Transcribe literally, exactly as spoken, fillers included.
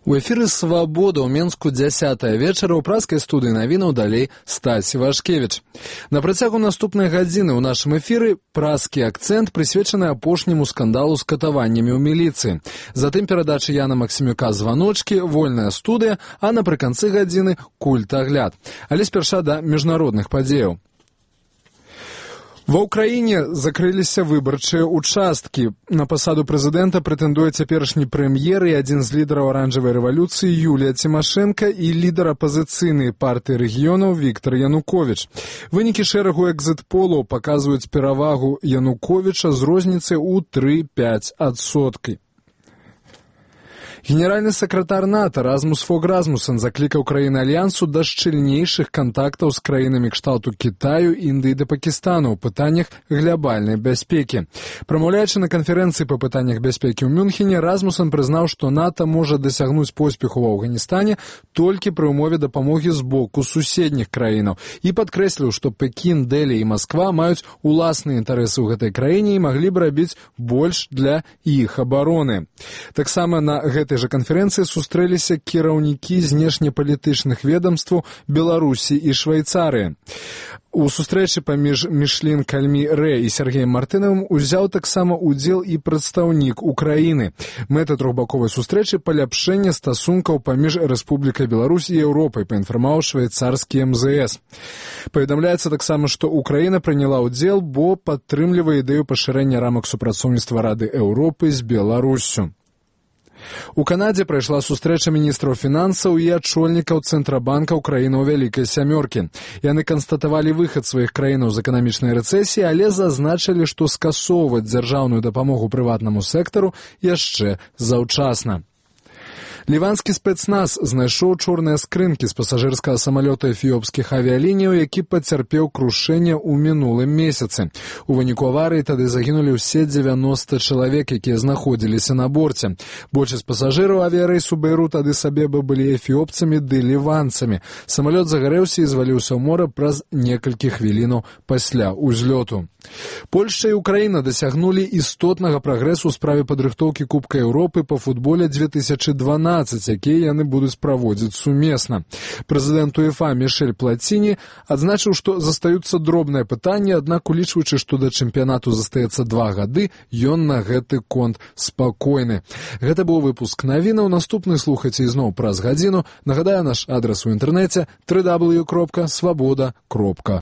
У эфіры «Свабода» ў Менску дзясятая вечара ў праскай студыі навінаў далей Стась Івашкевіч. На працягу наступнай гадзіны ў нашым эфіры праскі акцэнт, прысвечаны апошняму скандалу з катаваннямі ў міліцыі. Затым перадача Яна Максімюка «Званочкі», вольная студыя, а напрыканцы гадзіны культагляд. Але спярша да міжнародных падзеяў. Ва ўкраіне закрыліся выбарчыя участкі. На пасаду прэзідэнта прэтэндуе цяперашні прэм'ер і адзін з лідараў аранжавай рэвалюцыі Юлія Цімашэнка і лідар апазіцыйнай партыі рэгіёнаў Віктар Януковіч. Вынікі шэрагу экзіт-полаў паказваюць перавагу Януковіча з розніцай у тры-пяць адсоткаў. Генеральны сакратар НАТО Размус Фог Размусен заклікаў краіны Альянсу да шчыльнейшых кантактаў з краінамі кшталту Кітаю, Індыі да Пакістану ў пытаннях глябальнай бяспекі. Прамаўляючы на канферэнцыі па пытаннях бяспекі ў Мюнхене, Размусен прызнаў, што НАТО можа дасягнуць поспеху ва Афганістане толькі пры ўмове дапамогі з боку суседніх краінаў і падкрэсліў, што Пекін, Дэлі і Масква маюць уласныя інтарэсы ў гэтай краіне і маглі б рабіць больш для іх абароны. Таксама на гэтай жа канферэнцыі сустрэліся кіраўнікі знешнепалітычных ведамстваў Беларусі і Швейцарыі. У сустрэчы паміж Мішлін Кальмі Рэ і Сергеем Мартынавым узяў таксама удзел і прадстаўнік Украіны. Мэта трохбаковай сустрэчы паляпшэнне стасункаў паміж Рэспублікай Беларусь і Еўропай, паінфармаваў швейцарскі эм зэ эс. Паведамляецца таксама, што Украіна прыняла ўдзел, бо падтрымлівае ідэю пашырэння рамак супрацоўніцтва Рады Еўропы з Беларуссю. У Канадзе прайшла сустрэча міністраў фінансаў і ачольнікаў Цэнтрабанка краінаў Вялікай сямёркі. Яны канстатавалі выхад сваіх краінаў з эканамічнай рэцэсіі, але зазначылі, што скасоўваць дзяржаўную дапамогу прыватнаму сектару яшчэ заўчасна. Ліванскі спецназ знайшоў чорныя скрынкі з пасажырскага самалёта эфіопскіх авіялініяў, які пацярпеў крушэнне ў мінулым месяцы. У выніку аварыі тады загінулі ўсе дзевяноста чалавек, якія знаходзіліся на борце. Большасць пасажыраў авіярэйсу Бейрут Адыс-Абеба былі эфіопцамі ды ліванцамі. Самалёт загарэўся і зваліўся ў мора праз некалькі хвілінаў пасля ўзлёту. Польшча і Украіна дасягнулі істотнага прагрэсу ў справе падрыхтоўкі Кубка Еўропы па футболе две тысячы дванаццаць, якія яны будуць праводзіць сумесна. Прэзідэнт УЕФА Мішэль Плаціні адзначыў, што застаюцца дробныя пытанні, аднак улічваючы, што да чэмпіянату застаецца два гады, ён на гэты конт спакойны. Гэта быў выпуск навінаў. Наступны слухайце ізноў праз гадзіну. Нагадаю, наш адрас у інтэрнэце дабл ю дабл ю дабл ю кропка свабода кропка